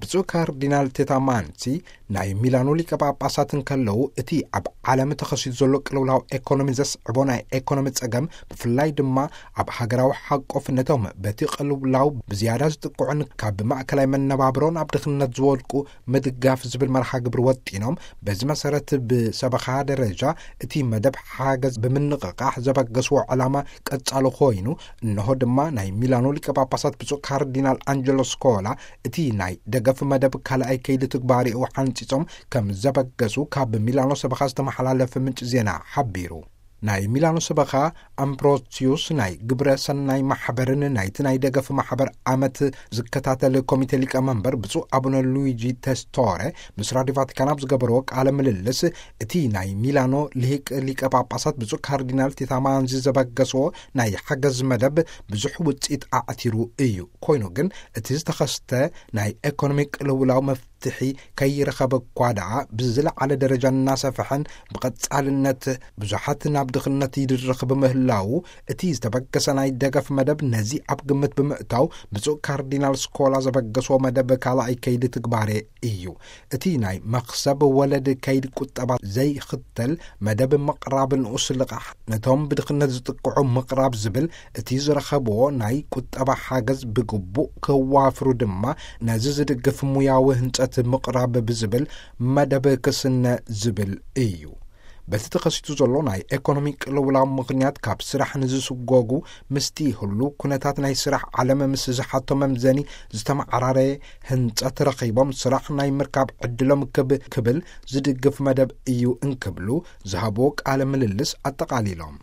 ብፁዕ ካርዲናል ቴታማንሲ ናይ ሚላኖ ሊቀ ጳጳሳት እንከለዉ፣ እቲ ኣብ ዓለም ተኸሲቱ ዘሎ ቅልውላው ኤኮኖሚ ዘስዕቦ ናይ ኤኮኖሚ ጸገም፣ ብፍላይ ድማ ኣብ ሃገራዊ ሓቆፍነቶም በቲ ቅልውላው ብዝያዳ ዝጥቅዑን ካብ ማእከላይ መነባብሮ ናብ ድኽነት ዝወድቁ ምድጋፍ ዝብል መርሃ ግብሪ ወጢኖም፣ በዚ መሰረት ብሰበኻ ደረጃ እቲ መደብ ሓገዝ ብምንቕቓሕ ዘበገስዎ ዕላማ ቀጻሊ ኮይኑ፣ እንሆ ድማ ናይ ሚላኖ ሊቀ ጳጳሳት ብፁዕ ካርዲናል ኣንጀሎ ስኮላ እቲ ናይ ደገፍ መደብ ካልኣይ ከይዲ ትግባሬኡ ሓንጺጾም ከም ዘበገሱ ካብ ሚላኖ ሰበኻ ዝተመሓላለፈ ምንጪ ዜና ሓቢሩ። ናይ ሚላኖ ሰበኻ ኣምብሮሲዩስ ናይ ግብረ ሰናይ ማሕበርን ናይቲ ናይ ደገፍ ማሕበር ዓመት ዝከታተል ኮሚቴ ሊቀመንበር ብፁዕ ኣቡነ ሉዊጂ ተስቶረ ምስ ራዲዮ ቫቲካን ኣብ ዝገበርዎ ቃለ ምልልስ፣ እቲ ናይ ሚላኖ ልሂቅ ሊቀ ጳጳሳት ብፁዕ ካርዲናል ቴታማንዚ ዘበገስዎ ናይ ሓገዝ መደብ ብዙሕ ውጽኢት ኣዕቲሩ እዩ። ኮይኑ ግን እቲ ዝተኸስተ ናይ ኤኮኖሚ ቅልውላው መፍትሒ ከይረኸበ እኳ ደኣ፣ ብዝለዓለ ደረጃ እናሰፍሐን ብቐጻልነት ብዙሓት ናብ ድኽነት ይድርኽ ብምህላዉ፣ እቲ ዝተበገሰ ናይ ደገፍ መደብ ነዚ ኣብ ግምት ብምእታው፣ ብፁዕ ካርዲናል ስኮላ ዘበገስዎ መደብ ካልኣይ ከይዲ ትግባሬ እዩ። እቲ ናይ መኽሰብ ወለድ ከይዲ ቁጠባ ዘይኽተል መደብ ምቕራብ ንኡስ ልቓሕ ነቶም ብድኽነት ዝጥቅዑ ምቕራብ ዝብል፣ እቲ ዝረኸብዎ ናይ ቁጠባ ሓገዝ ብግቡእ ከዋፍሩ ድማ ነዚ ዝድግፍ ሙያዊ ህንጸት ምቕራብ ብዝብል መደብ ክስነ ዝብል እዩ። በቲ ተኸሲቱ ዘሎ ናይ ኤኮኖሚ ቅልውላው ምኽንያት ካብ ስራሕ ንዝስጎጉ፣ ምስቲ ህሉ ኩነታት ናይ ስራሕ ዓለም ምስ ዝሓቶ መምዘኒ ዝተመዓራረየ ህንጸት ረኺቦም ስራሕ ናይ ምርካብ ዕድሎም ክብ-፣ ክብል ዝድግፍ መደብ እዩ እንክብሉ ዝሃብዎ ቃለ ምልልስ ኣጠቓሊሎም።